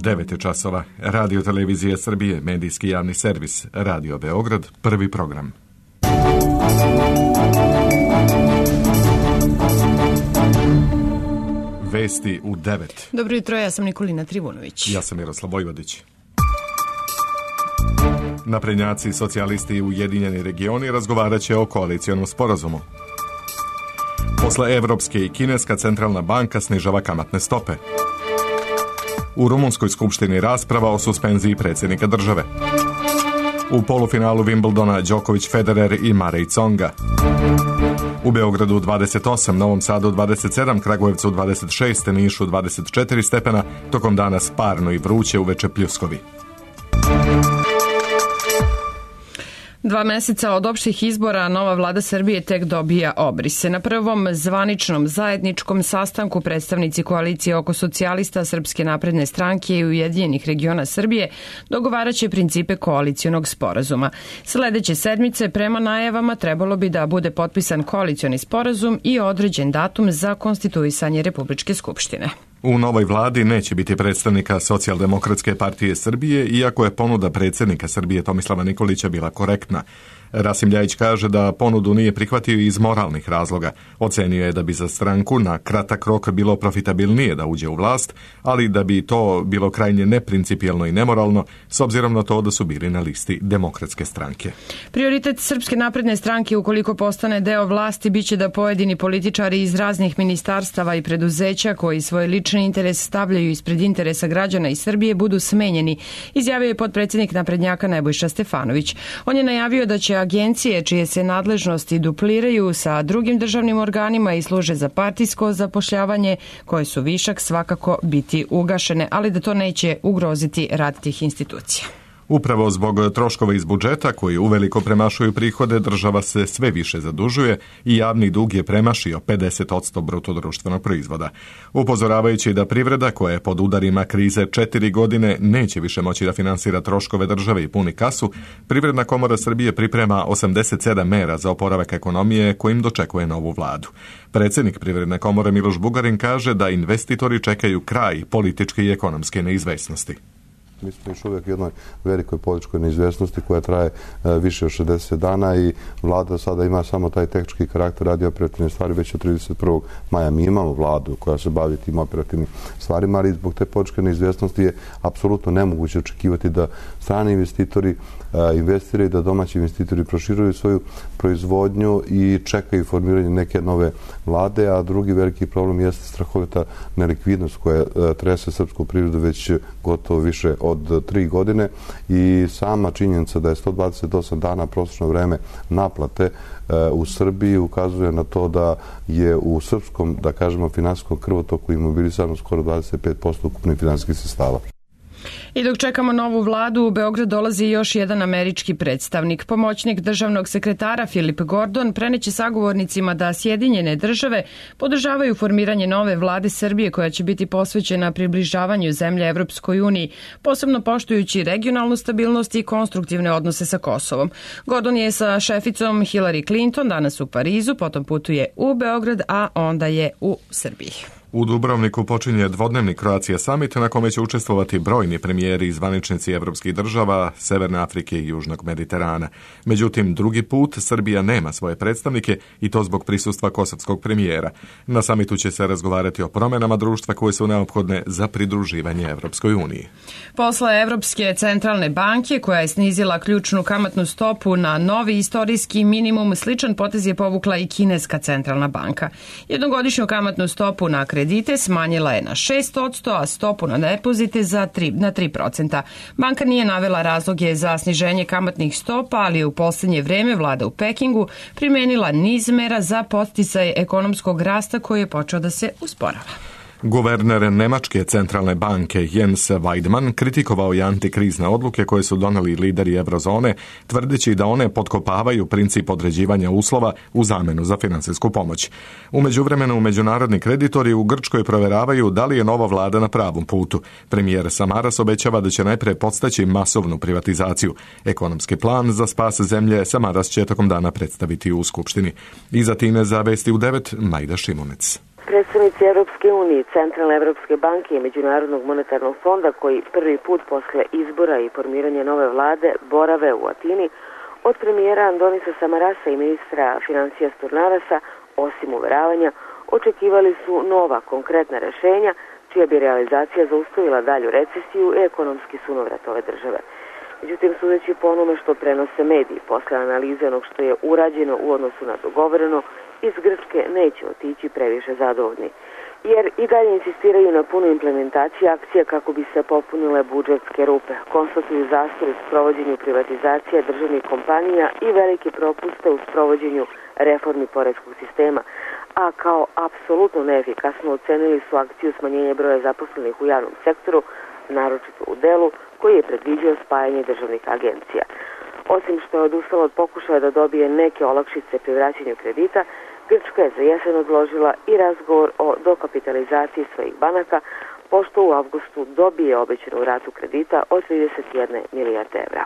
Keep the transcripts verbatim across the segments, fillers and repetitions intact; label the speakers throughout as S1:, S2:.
S1: devet je časova. Radio Televizije Srbije, medijski javni servis, Radio Beograd, prvi program. Vesti u devet.
S2: Dobro jutro, ja sam Nikolina Trivunović.
S1: Ja sam Miroslav Vojvodić. Naprednjaci, socijalisti i Ujedinjeni regioni razgovarat će o koalicijonom sporazumu. Posle Evropske i Kineska centralna banka snižava kamatne stope. U Rumunskoj skupštini rasprava o suspenziji predsjednika države. U polufinalu Wimbledona Đoković, Federer i Marej Tsonga. U Beogradu dvadeset osam, Novom Sadu dvadeset sedam, Kragujevcu dvadeset šest, Nišu dvadeset četiri stepena, tokom dana sparno i vruće, uveče pljuskovi.
S2: Dva meseca od opštih izbora nova vlada Srbije tek dobija obrise. Na prvom zvaničnom zajedničkom sastanku predstavnici koalicije oko socijalista, Srpske napredne stranke i Ujedinjenih regiona Srbije dogovaraće principe koalicijonog sporazuma. Sledeće sedmice prema najavama trebalo bi da bude potpisan koalicioni sporazum i određen datum za konstituisanje Republičke skupštine.
S1: U novoj vladi neće biti predstavnika Socijaldemokratske partije Srbije, iako je ponuda predsjednika Srbije Tomislava Nikolića bila korektna. Rasim Ljajić kaže da ponudu nije prihvatio iz moralnih razloga. Ocenio je da bi za stranku na kratak rok bilo profitabilnije da uđe u vlast, ali da bi to bilo krajnje neprincipijelno i nemoralno, s obzirom na to da su bili na listi Demokratske stranke.
S2: Prioritet Srpske napredne stranke, ukoliko postane deo vlasti, biće da pojedini političari iz raznih ministarstava i preduzeća koji svoj lični interes stavljaju ispred interesa građana iz Srbije budu smenjeni, izjavio je potpredsjednik naprednjaka Nebojša Stefanović. On je najavio da će agencije čije se nadležnosti dupliraju sa drugim državnim organima i služe za partijsko zapošljavanje, koje su višak, svakako biti ugašene, ali da to neće ugroziti rad tih institucija.
S1: Upravo zbog troškova iz budžeta koji uveliko premašuju prihode, država se sve više zadužuje i javni dug je premašio pedeset posto bruto društvenog proizvoda. Upozoravajući da privreda koja je pod udarima krize četiri godine neće više moći da finansira troškove države i puni kasu, Privredna komora Srbije priprema osamdeset sedam mera za oporavak ekonomije kojim dočekuje novu vladu. Predsjednik Privredne komore Miloš Bugarin kaže da investitori čekaju kraj političke i ekonomske neizvesnosti.
S3: Mi smo još uvijek u jednoj velikoj političkoj neizvjesnosti koja traje e, više od šezdeset dana i vlada sada ima samo taj tehnički karakter, radi operativne stvari. Već od trideset prvog maja mi imamo vladu koja se bavi tim operativnim stvarima, ali zbog te političke neizvjesnosti je apsolutno nemoguće očekivati da strani investitori e, investiraju, da domaći investitori proširuju svoju proizvodnju i čekaju formiranje neke nove vlade, a drugi veliki problem jeste strahovita nelikvidnost koja e, trese srpsku privredu već gotovo više od tri godine i sama činjenica da je sto dvadeset osam dana prosječno vreme naplate e, u Srbiji ukazuje na to da je u srpskom, da kažemo, finansijskom krvotoku imobilisano skoro dvadeset pet posto ukupnih finansijskih sredstava.
S2: I dok čekamo novu vladu, u Beograd dolazi još jedan američki predstavnik. Pomoćnik državnog sekretara Filip Gordon preneće sagovornicima da Sjedinjene države podržavaju formiranje nove vlade Srbije koja će biti posvećena približavanju zemlje Evropskoj uniji, posebno poštujući regionalnu stabilnost i konstruktivne odnose sa Kosovom. Gordon je sa šeficom Hillary Clinton danas u Parizu, potom putuje u Beograd, a onda je u Srbiji.
S1: U Dubrovniku počinje dvodnevni Croatia Summit na kome će učestvovati brojni premijeri i zvaničnici evropskih država, Severne Afrike i Južnog Mediterana. Međutim, drugi put Srbija nema svoje predstavnike i to zbog prisustva kosovskog premijera. Na samitu će se razgovarati o promjenama društva koje su neophodne za pridruživanje Evropskoj uniji.
S2: Posle Evropske centralne banke, koja je snizila ključnu kamatnu stopu na novi istorijski minimum, sličan potez je povukla i Kineska centralna banka. Jednogodišnju kamatnu stopu na kredite smanjila je na šest posto, a stopu na depozite za tri, na tri procenta. Banka nije navela razloge za sniženje kamatnih stopa, ali je u posljednje vreme vlada u Pekingu primenila niz mera za podsticaj ekonomskog rasta koji je počeo da se usporava.
S1: Guverner Nemačke centralne banke Jens Weidmann kritikovao je antikrizne odluke koje su doneli lideri eurozone, tvrdeći da one potkopavaju princip određivanja uslova u zamenu za finansijsku pomoć. U međuvremenu međunarodni kreditori u Grčkoj provjeravaju da li je nova vlada na pravom putu. Premijer Samaras obećava da će najpre podstaći masovnu privatizaciju. Ekonomski plan za spas zemlje Samaras će tokom dana predstaviti u Skupštini. I za time za Vesti u devet Majda Šimunec.
S4: Predstavnici Europske unije, Centralne Evropske banke i Međunarodnog monetarnog fonda, koji prvi put posle izbora i formiranja nove vlade borave u Atini, od premijera Andonisa Samarasa i ministra financija Sturnarasa, osim uveravanja, očekivali su nova konkretna rešenja čija bi realizacija zaustavila dalju recesiju i ekonomski sunovrat ove države. Međutim, sudeći po onome što prenose mediji, posle analize onog što je urađeno u odnosu na dogovoreno, iz Grčke neće otići previše zadovoljni, jer i dalje insistiraju na punu implementaciji akcija kako bi se popunile budžetske rupe, konstatuju zastoj u sprovođenju privatizacije državnih kompanija i velike propuste u sprovođenju reformi poreskog sistema, a kao apsolutno neefikasno ocenili su akciju smanjenja broja zaposlenih u javnom sektoru, naročito u delu koji je predviđao spajanje državnih agencija. Osim što je odustala od pokušaja da dobije neke olakšice pri vraćanju kredita, Grčka je za jesen odložila i razgovor o dokapitalizaciji svojih banaka, pošto u avgustu dobije obećanu ratu kredita od trideset jedne milijarde evra.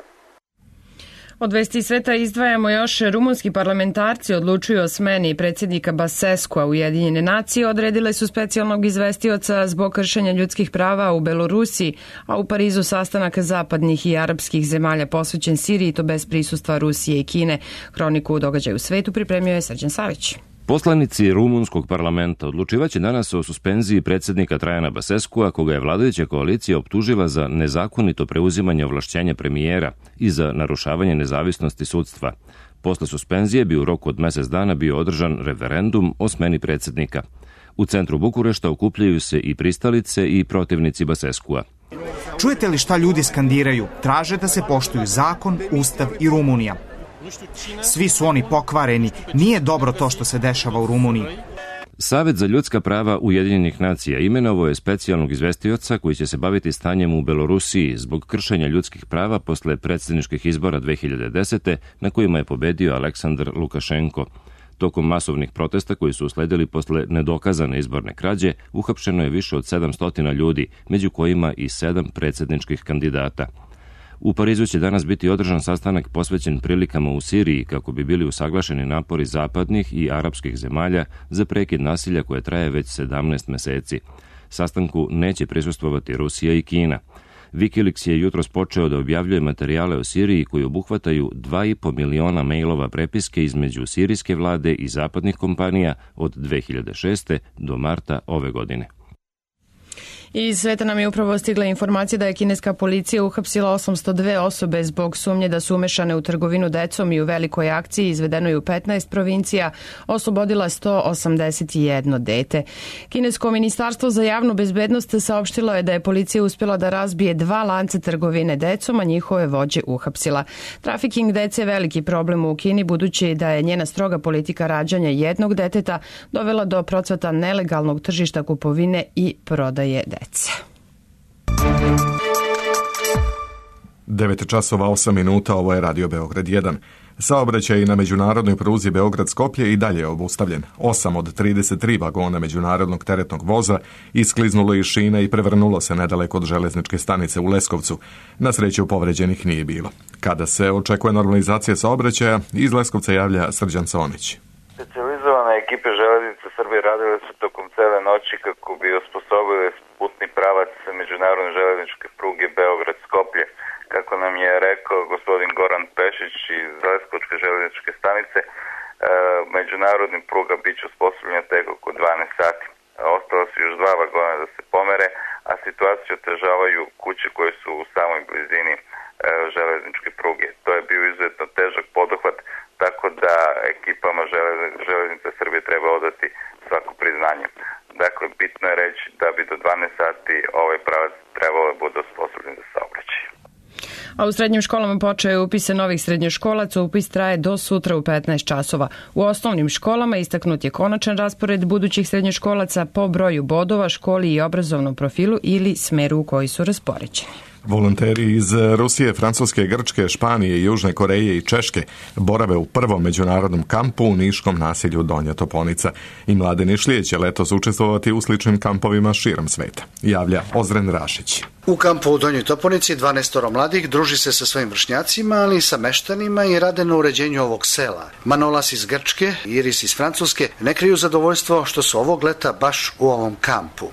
S2: Od vesti sveta izdvajamo još rumunski parlamentarci odlučuju o smeni predsjednika Baseskua. Ujedinjene nacije odredile su specijalnog izvestioca zbog kršenja ljudskih prava u Belorusiji, a u Parizu sastanak zapadnih i arapskih zemalja posvećen Siriji, to bez prisustva Rusije i Kine. Hroniku događaja u svetu pripremio je Srđan Savić.
S5: Poslanici rumunskog parlamenta odlučivaće danas o suspenziji predsjednika Trajana Baseskua, koga je vladajuća koalicija optužila za nezakonito preuzimanje ovlašćenja premijera i za narušavanje nezavisnosti sudstva. Posle suspenzije bi u roku od mjesec dana bio održan referendum o smeni predsjednika. U centru Bukurešta okupljaju se i pristalice i protivnici Baseskua.
S6: Čujete li šta ljudi skandiraju? Traže da se poštuju zakon, ustav i Rumunija. Svi su oni pokvareni, nije dobro to što se dešava u Rumuniji.
S5: Savet za ljudska prava Ujedinjenih nacija imenovao je specijalnog izvestioca koji će se baviti stanjem u Belorusiji zbog kršenja ljudskih prava posle predsjedničkih izbora dve hiljade desete na kojima je pobedio Aleksandar Lukašenko. Tokom masovnih protesta koji su usledili posle nedokazane izborne krađe, uhapšeno je više od sedamsto ljudi, među kojima i sedam predsjedničkih kandidata. U Parizu će danas biti održan sastanak posvećen prilikama u Siriji kako bi bili usaglašeni napori zapadnih i arapskih zemalja za prekid nasilja koje traje već sedamnaest meseci. Sastanku neće prisustvovati Rusija i Kina. Wikileaks je jutros počeo da objavljuje materijale o Siriji koji obuhvataju dva i po miliona mailova prepiske između sirijske vlade i zapadnih kompanija od dve hiljade šeste do marta ove godine.
S2: Iz sveta nam je upravo stigla informacija da je kineska policija uhapsila osamsto dve osobe zbog sumnje da su umešane u trgovinu decom i u velikoj akciji izvedenoj u petnaest provincija oslobodila sto osamdeset jedno dete. Kinesko ministarstvo za javnu bezbednost saopštilo je da je policija uspjela da razbije dva lanca trgovine decom, a njihove vođe uhapsila. Trafiking dece je veliki problem u Kini, budući da je njena stroga politika rađanja jednog deteta dovela do procvata nelegalnog tržišta kupovine i prodaje dece.
S1: devet časova osam minuta, ovo je Radio Beograd jedan. Saobraćaj na međunarodnoj pruzi Beograd-Skoplje i dalje je obustavljen. osam od trideset tri vagona međunarodnog teretnog voza iskliznulo iz šina i prevrnulo se nedaleko od železničke stanice u Leskovcu. Na sreću povređenih nije bilo. Kada se očekuje normalizacija saobraćaja, iz Leskovca javlja Srđan Sonić.
S7: Specijalizovane ekipe Železnice Srbije radile su tokom cele noći kako bi osposobile putni pravac međunarodne železničke pruge Beograd-Skoplje. Kako nam je rekao gospodin Goran Pešić iz Leskovčke železničke stanice, međunarodni pruga bit će osposobljena tek oko dvanaest sati. Ostalo su još dva vagona da se pomere, a situaciju otežavaju kuće koje su u samoj blizini železničke pruge. To je bio izuzetno težak poduhvat, tako da ekipama Železnice Srbije treba odati svako priznanje. Dakle, bitno je reći da bi do dvanaest sati ovaj pravac trebalo da bude osposobljen za saobraćaj.
S2: A u srednjim školama počeo je upis novih srednjoškolaca, upis traje do sutra u petnaest časova. U osnovnim školama istaknut je konačan raspored budućih srednjoškolaca po broju bodova, školi i obrazovnom profilu ili smeru u koji su raspoređeni.
S1: Volonteri iz Rusije, Francuske, Grčke, Španije, Južne Koreje i Češke borave u prvom međunarodnom kampu u niškom naselju Donja Toponica. I mlade Nišlije će letos učestvovati u sličnim kampovima širom sveta, javlja Ozren Rašić.
S8: U kampu u Donjoj Toponici dvanaestoro mladih druži se sa svojim vršnjacima, ali i sa meštanima i rade na uređenju ovog sela. Manolas iz Grčke i Iris iz Francuske ne kriju zadovoljstvo što su ovog leta baš u ovom kampu.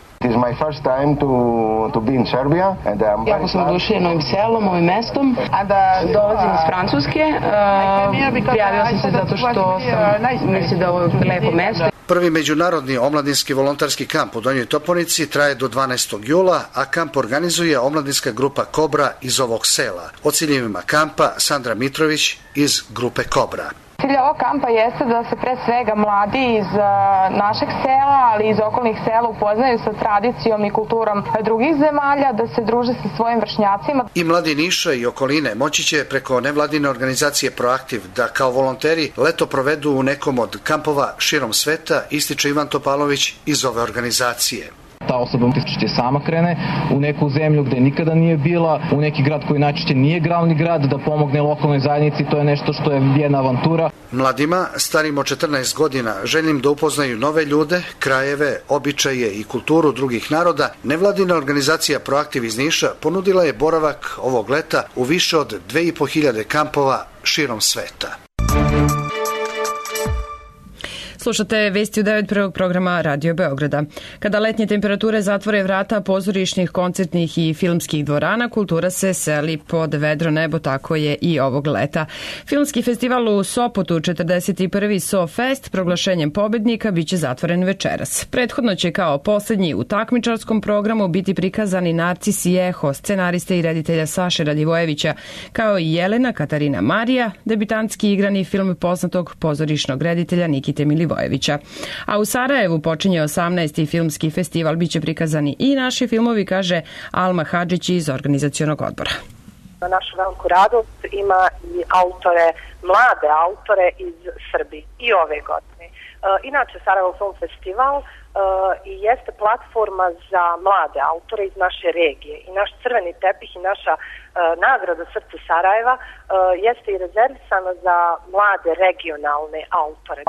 S9: Jako sam oduševljena ovim selom, ovim mestom, a da dolazim iz Francuske, uh, prijavila sam se zato što sam mislila da ovo je lepo mesto.
S8: Prvi međunarodni omladinski volonterski kamp u Donjoj Toponici traje do dvanaestog jula, a kamp organizuje omladinska grupa Kobra iz ovog sela. O ciljevima kampa Sandra Mitrović iz grupe Kobra.
S10: Cilj ovog kampa jeste da se pre svega mladi iz našeg sela, ali iz okolnih sela upoznaju sa tradicijom i kulturom drugih zemalja, da se druže sa svojim vršnjacima.
S8: I mladi Niša i okoline moći će preko nevladine organizacije Proaktiv da kao volonteri leto provedu u nekom od kampova širom sveta, ističe Ivan Topalović iz ove organizacije.
S11: Ta osoba će sama krene u neku zemlju gde nikada nije bila, u neki grad koji najčešće nije glavni grad, da pomogne lokalnoj zajednici, to je nešto što je jedna avantura.
S8: Mladima, starim od četrnaest godina, željnim da upoznaju nove ljude, krajeve, običaje i kulturu drugih naroda, nevladina organizacija Proaktiv iz Niša ponudila je boravak ovog leta u više od dve i po hiljade kampova širom sveta.
S2: Slušate vesti u devet prvog programa Radio Beograda. Kada letnje temperature zatvore vrata pozorišnih, koncertnih i filmskih dvorana, kultura se seli pod vedro nebo, tako je i ovog leta. Filmski festival u Sopotu, četrdeset prvi SoFest, proglašenjem pobednika, biće zatvoren večeras. Prethodno će kao poslednji u takmičarskom programu biti prikazani Narcis i Eho, scenariste i reditelja Saše Radivojevića, kao i Jelena Katarina Marija, debitantski igrani film poznatog pozorišnog reditelja Nikite Milivojevića. A u Sarajevu počinje osamnaesti filmski festival, biće prikazani i naši filmovi, kaže Alma Hadžić iz organizacionog odbora.
S12: Na našu veliku radost ima i autore, mlade autore iz Srbije i ove godine. E, inače, Sarajevo Film Festival e, i jeste platforma za mlade autore iz naše regije. I naš crveni tepih i naša e, nagrada Srce Sarajeva e, jeste i rezervisana za mlade regionalne autore.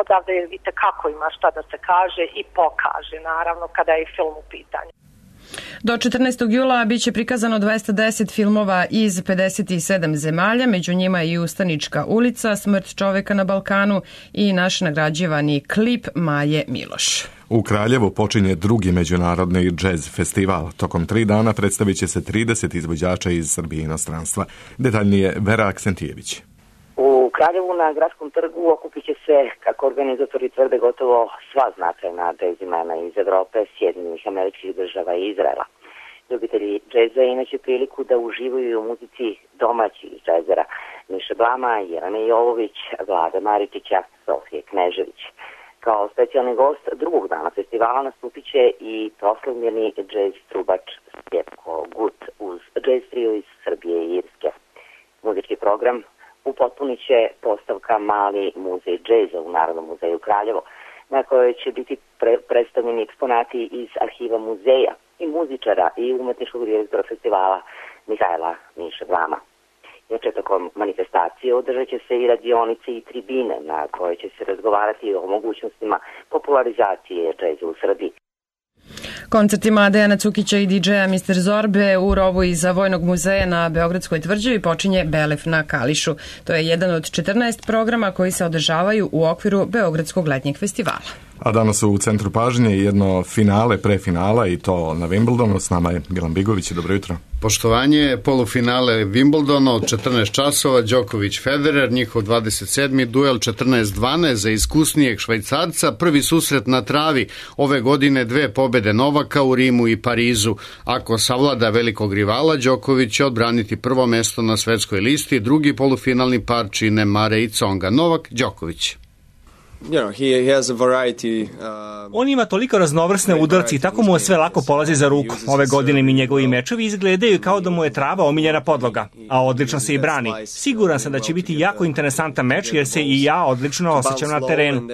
S12: Odavde vidite kako ima šta da se kaže i pokaže, naravno, kada je film u pitanju.
S2: Do četrnaestog jula biće prikazano dvesta deset filmova iz pedeset sedam zemalja, među njima i Ustanička ulica, Smrt čoveka na Balkanu i naš nagrađivani klip Maje Miloš.
S1: U Kraljevu počinje drugi međunarodni džez festival. Tokom tri dana predstavit će se trideset izvođača iz Srbije i inostranstva. Detaljnije Vera Aksentijević.
S13: U Kraljevu na Gradskom trgu okupit će se, kako organizatori tvrde, gotovo sva značajna džez imena iz Evrope, Sjedinjenih Američkih Država i Izraela. Ljubitelji džeza imaće priliku da uživaju u muzici domaćih džezera Miše Blama, Jelene Jovović, Vlade Maričića, Sofije Knežević. Kao specijalni gost drugog dana festivala nastupit će i proslavljeni džez trubač Stjepko Gut uz džez trio iz Srbije i Irske. Muzički program upotpunit će postavka Mali muzej džeza u Narodnom muzeju Kraljevo, na kojoj će biti pre predstavljeni eksponati iz arhiva muzeja i muzičara i umetničkog direktora festivala Mihajla Miše Blama. Inače, tokom manifestacije održat će se i radionice i tribine na koje će se razgovarati o mogućnostima popularizacije džeza u Srbiji.
S2: Koncertima Dejana Cukića i didžeja mister Zorbe u rovu iza Vojnog muzeja na Beogradskoj tvrđavi počinje Belef na Kališu. To je jedan od četrnaest programa koji se održavaju u okviru Beogradskog letnjeg festivala.
S1: A danas u centru pažnje jedno finale, prefinala i to na Wimbledonu. S nama je Milan Bigović. Dobro jutro.
S14: Poštovanje, polufinale Wimbledona od četrnaest časova, Đoković Federer, njihov dvadeset sedmi duel četrnaest dvanaest za iskusnijeg Švajcarca, prvi susret na travi, ove godine dve pobede Novaka u Rimu i Parizu. Ako savlada velikog rivala, Đoković će odbraniti prvo mesto na svetskoj listi, drugi polufinalni par čine Mare i Tsonga. Novak, Đoković.
S15: On ima toliko raznovrsne udarci i tako mu sve lako polazi za ruku. Ove godine mi njegovi mečevi izgledaju kao da mu je trava omiljena podloga, a odlično se i brani. Siguran sam da će biti jako interesantan meč jer se i ja odlično osjećam na terenu.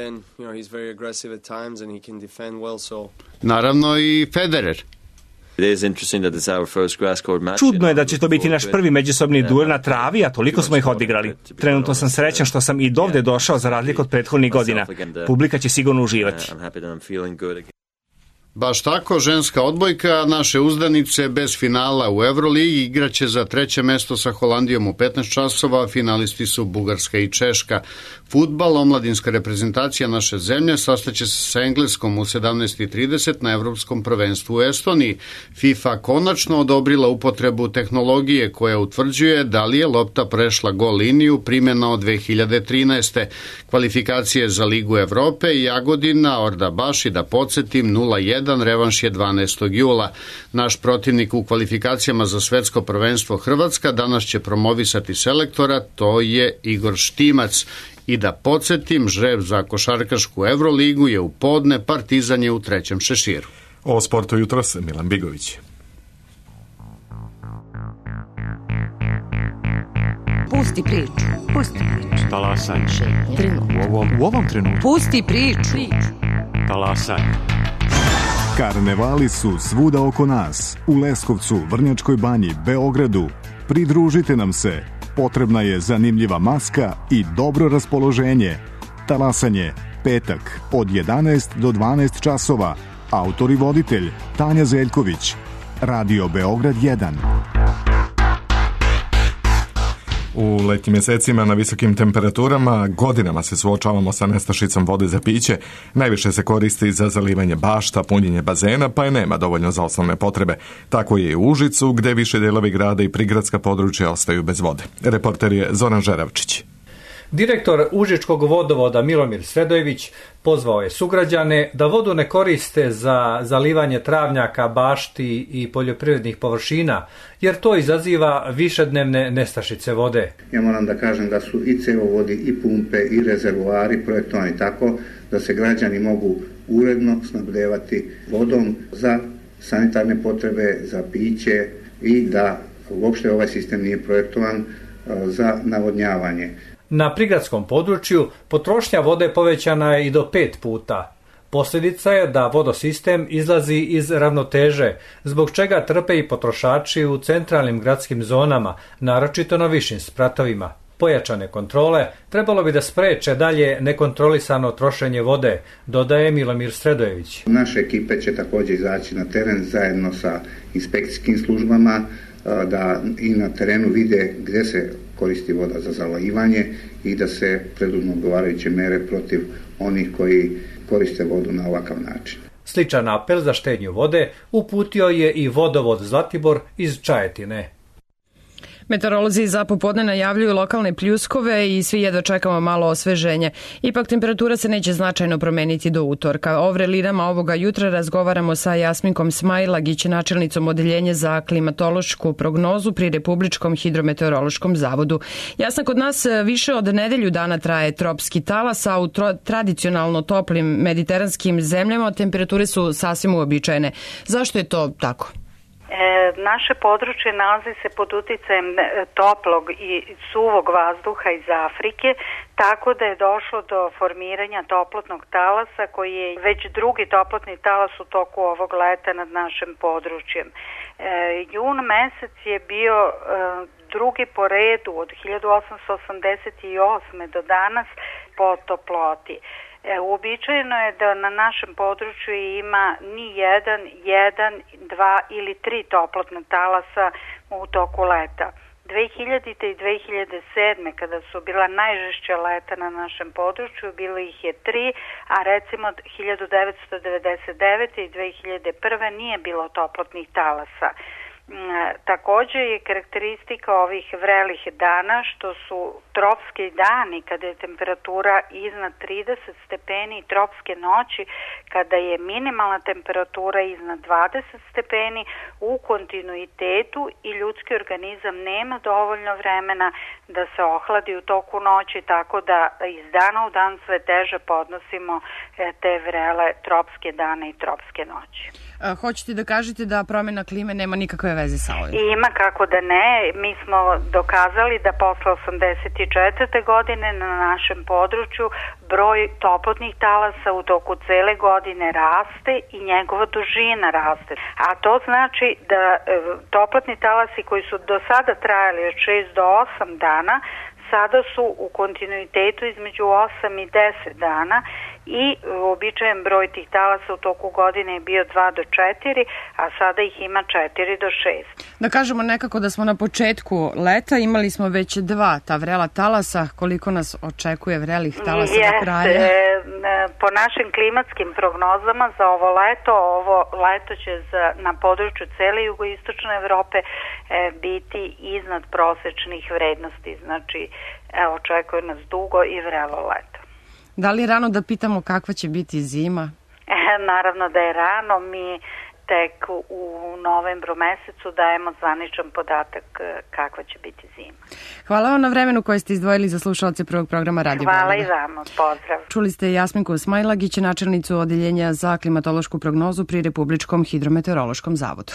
S14: Naravno i Federer.
S15: Čudno je da će to biti naš prvi međusobni duel na travi, a toliko smo ih odigrali. Trenutno sam srećan što sam i dovde došao za razliku od prethodnih godina. Publika će sigurno uživati.
S14: Baš tako, ženska odbojka naše uzdanice bez finala u Euroligi igraće za treće mesto sa Holandijom u petnaest časova, finalisti su Bugarska i Češka. Fudbal, omladinska reprezentacija naše zemlje, sastaće se sa Engleskom u sedamnaest i trideset na Evropskom prvenstvu u Estoniji. FIFA konačno odobrila upotrebu tehnologije koja utvrđuje da li je lopta prešla gol liniju, primjena od dve hiljade trinaeste. Kvalifikacije za Ligu Evrope, Jagodina, Orda-Baš i da podsjetim nula jedan, revanš je dvanaestog jula. Naš protivnik u kvalifikacijama za svetsko prvenstvo Hrvatska danas će promovisati selektora, to je Igor Štimac. I da podsjetim, žreb za košarkašku Euroligu je u podne, Partizan je u trećem šeširu.
S1: O sportu jutros Milan Bigović.
S16: Pusti priču. Pusti priču.
S17: Talasaj.
S16: U ovom,
S17: u ovom trenutku.
S16: Pusti priču.
S17: Talasaj.
S18: Karnevali su svuda oko nas. U Leskovcu, Vrnjačkoj banji, Beogradu. Pridružite nam se. Potrebna je zanimljiva maska i dobro raspoloženje. Talasanje, petak, od jedanaest do dvanaest časova. Autor i voditelj Tanja Zeljković. Radio Beograd jedan.
S1: U letnjim mjesecima na visokim temperaturama godinama se suočavamo sa nestašicom vode za piće. Najviše se koristi za zalivanje bašta, punjenje bazena, pa je nema dovoljno za osnovne potrebe. Tako je i u Užicu, gde više delovi grada i prigradska područja ostaju bez vode. Reporter je Zoran Žeravčić.
S19: Direktor Užičkog vodovoda Milomir Sredojević pozvao je sugrađane da vodu ne koriste za zalivanje travnjaka, bašti i poljoprivrednih površina, jer to izaziva višednevne nestašice vode.
S20: Ja moram da kažem da su i cevovodi, i pumpe, i rezervoari projektovani tako da se građani mogu uredno snabdevati vodom za sanitarne potrebe, za piće i da uopšte ovaj sistem nije projektovan za navodnjavanje.
S19: Na prigradskom području potrošnja vode povećana je i do pet puta. Posljedica je da vodosistem izlazi iz ravnoteže, zbog čega trpe i potrošači u centralnim gradskim zonama, naročito na višim spratovima. Pojačane kontrole trebalo bi da spreče dalje nekontrolisano trošenje vode, dodaje Milomir Sredojević.
S20: Naše ekipe će također izaći na teren zajedno sa inspekcijskim službama, da i na terenu vide gdje se koristi voda za zalivanje i da se preduzmu odgovarajuće mere protiv onih koji koriste vodu na ovakav način.
S19: Sličan apel za štednju vode uputio je i vodovod Zlatibor iz Čajetine.
S2: Meteorolozi za popodne najavljuju lokalne pljuskove i svi jedva čekamo malo osveženje. Ipak temperatura se neće značajno promeniti do utorka. O vrelinama ovoga jutra razgovaramo sa Jasminkom Smajlagić, načelnicom odeljenja za klimatološku prognozu pri Republičkom hidrometeorološkom zavodu. Jasna, kod nas više od nedelju dana traje tropski talas, a u tradicionalno toplim mediteranskim zemljama temperature su sasvim uobičajene. Zašto je to tako?
S21: E, naše područje nalazi se pod uticajem toplog i suvog vazduha iz Afrike, tako da je došlo do formiranja toplotnog talasa koji je već drugi toplotni talas u toku ovog leta nad našim područjem. E, jun mesec je bio e, drugi po redu od hiljadu osamsto osamdeset osme do danas po toploti. E, uobičajeno je da na našem području ima ni jedan, jedan, dva ili tri toplotna talasa u toku leta. dve hiljadite i dve hiljade sedme kada su bila najžešća leta na našem području, bilo ih je tri, a recimo hiljadu devetsto devedeset devete i dve hiljade prve nije bilo toplotnih talasa. Također je karakteristika ovih vrelih dana što su tropski dani kada je temperatura iznad trideset stepeni i tropske noći kada je minimalna temperatura iznad dvadeset stepeni u kontinuitetu i ljudski organizam nema dovoljno vremena da se ohladi u toku noći, tako da iz dana u dan sve teže podnosimo te vrele tropske dane i tropske noći.
S2: A, hoćete da kažete da promjena klime nema nikakve veze sa ovim?
S21: Ima, kako da ne. Mi smo dokazali da posle osamdeset četvrte godine na našem području broj toplotnih talasa u toku cele godine raste i njegova dužina raste. A to znači da e, toplotni talasi koji su do sada trajali od šest do osam dana sada su u kontinuitetu između osam i deset dana i uobičajen broj tih talasa u toku godine je bio dva do četiri, a sada ih ima četiri do šest.
S2: Da kažemo nekako da smo na početku leta, imali smo već dva ta vrela talasa, koliko nas očekuje vrelih talasa
S21: Jeste,
S2: do kraja?
S21: Po našim klimatskim prognozama za ovo leto, ovo leto će za, na području cele jugoistočne Evrope e, biti iznad prosečnih vrednosti, znači evo, očekuje nas dugo i vrelo leto.
S2: Da li je rano da pitamo kakva će biti zima?
S21: E, naravno da je rano, mi tek u novembru mesecu dajemo zvaničan podatak kakva će biti zima.
S2: Hvala vam na vremenu koje ste izdvojili za slušalce prvog programa Radio Beograd.
S21: Hvala i vama, pozdrav.
S2: Čuli ste Jasminku Smajlagić, načelnicu Odeljenja za klimatološku prognozu pri Republičkom hidrometeorološkom zavodu.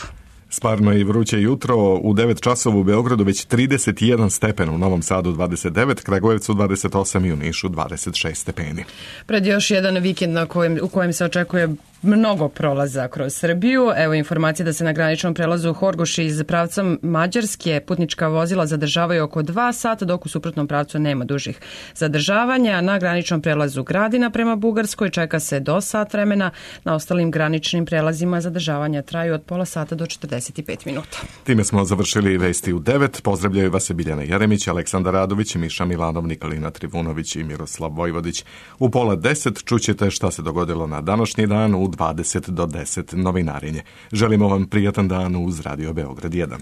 S1: Sparno i vruće jutro, u devet časova u Beogradu već trideset jedan stepen, u Novom Sadu dvadeset devet, Kragujevcu dvadeset osam i u Nišu dvadeset šest stepeni.
S2: Pred još jedan vikend na kojem, u kojem se očekuje mnogo prolaza kroz Srbiju. Evo informacije da se na graničnom prelazu Horgoš iz pravca Mađarske putnička vozila zadržavaju oko dva sata, dok u suprotnom pravcu nema dužih zadržavanja. Na graničnom prelazu Gradina prema Bugarskoj čeka se do sat vremena. Na ostalim graničnim prelazima zadržavanja traju od pola sata do četrdeset pet minuta.
S1: Time smo završili vesti u devet. Pozdravljaju vas Biljana Jeremić, Aleksandar Radović, Miša Milanov, Nikolina Trivunović i Miroslav Vojvodić. U pola deset čućete šta se dogodilo na današnji dan u dvadeset do deset novinarinje. Želimo vam prijatan dan uz Radio Beograd jedan.